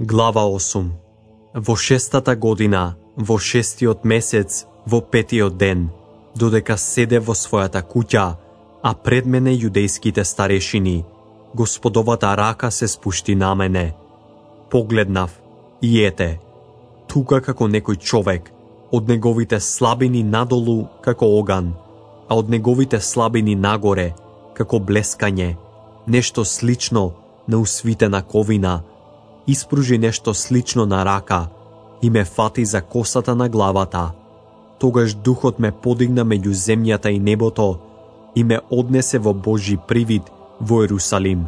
Глава 8. Во 6-та година, во 6-тиот месец, во 5-тиот ден, додека седе во својата куќа, а пред мене јудејските старешини, Господовата рака се спушти на мене. Погледнав и ете, тука како некој човек, од неговите слабини надолу како оган, а од неговите слабини нагоре како блескање, нешто слично на усвитена ковина, испружи нешто слично на рака и ме фати за косата на главата. Тогаш духот ме подигна меѓу земјата и небото и ме однесе во Божји привид во Ерусалим,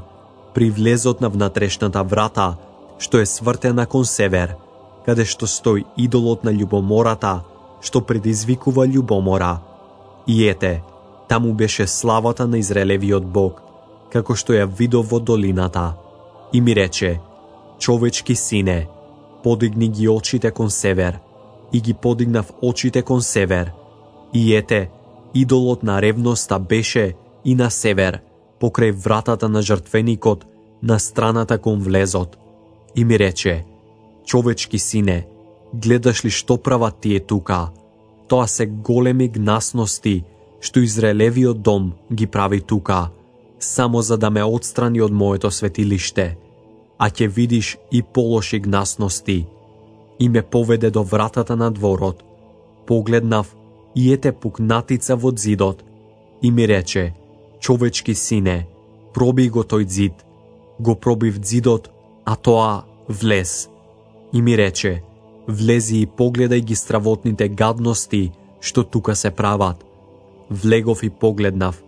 при влезот на внатрешната врата, што е свртена кон север, каде што стои идолот на љубомората, што предизвикува љубомора. И ете, таму беше славата на Израелевиот Бог, како што ја видов во долината. И ми рече: човечки сине, подигни ги очите кон север. И ги подигнав очите кон север. И ете, идолот на ревноста беше и на север, покрај вратата на жртвеникот, на страната кон влезот. И ми рече: човечки сине, гледаш ли што прават тие тука? Тоа се големи гнасности, што Израелевиот дом ги прави тука, само за да ме отстрани од моето светилиште. А ќе видиш и полоши гнасности. И ме поведе до вратата на дворот. Погледнав и ете пукнатица во зидот. И ми рече: човечки сине, проби го тој зид. Го пробив зидот, а тоа влез. И ми рече: влези и погледај ги стравотните гадности, што тука се прават. Влегов и погледнав,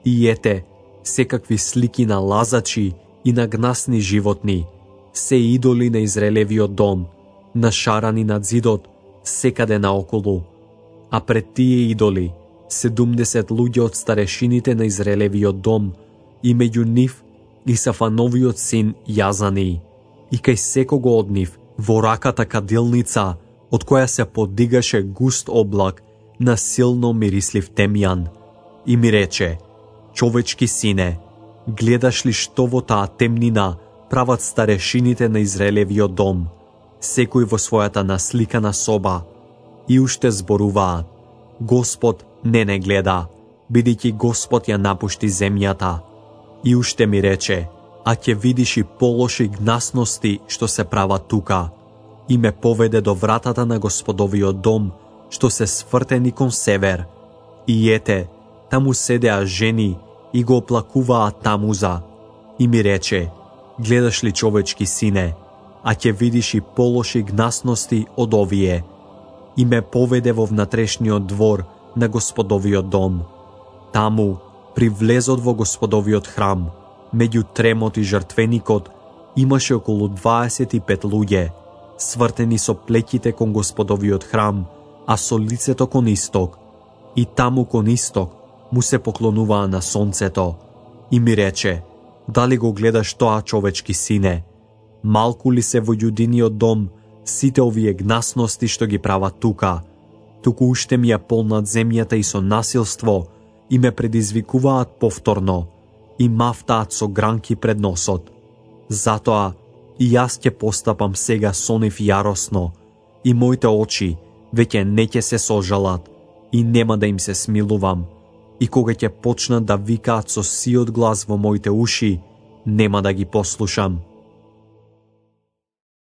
и ете, секакви слики на лазачи и на гнасни животни, се идоли на Израелевиот дом, нашарани над зидот, секаде наоколу. А пред тие идоли 70 луѓе од старешините на Израелевиот дом, и меѓу нив и Сафановиот син Јазани. И кај секого од нив во раката кадилница, од која се подигаше густ облак на силно мирислив темјан. И ми рече: човечки сине, гледаш ли што во таа темнина прават старешините на Израелевиот дом, секој во својата насликана соба, и уште зборуваат: Господ не гледа, бидејќи Господ ја напушти земјата. И уште ми рече: а ќе видиш и полоши гнасности што се прават тука. И ме поведе до вратата на Господовиот дом, што се свртени кон север. И ете, таму седеа жени и го оплакуваат Тамуза. И ми рече: гледаш ли, човечки сине, а ќе видиш и полоши гнасности од овие. И ме поведе во внатрешниот двор на Господовиот дом. Таму, при влезот во Господовиот храм, меѓу тремот и жртвеникот, имаше околу 25 луѓе, свртени со плеќите кон Господовиот храм, а со лицето кон исток. И таму кон исток му се поклонуваа на сонцето. И ми рече: дали го гледаш тоа, човечки сине? Малку ли се во јудиниот дом сите овие гнасности што ги прават тука? Туку уште ми ја полнат земјата и со насилство, и ме предизвикуваат повторно, и мафтаат со гранки пред носот. Затоа и јас ќе постапам сега со нив јаросно, и моите очи веќе не ќе се сожалат, и нема да им се смилувам, и кога ќе почнат да викаат со сиот глас во моите уши, нема да ги послушам.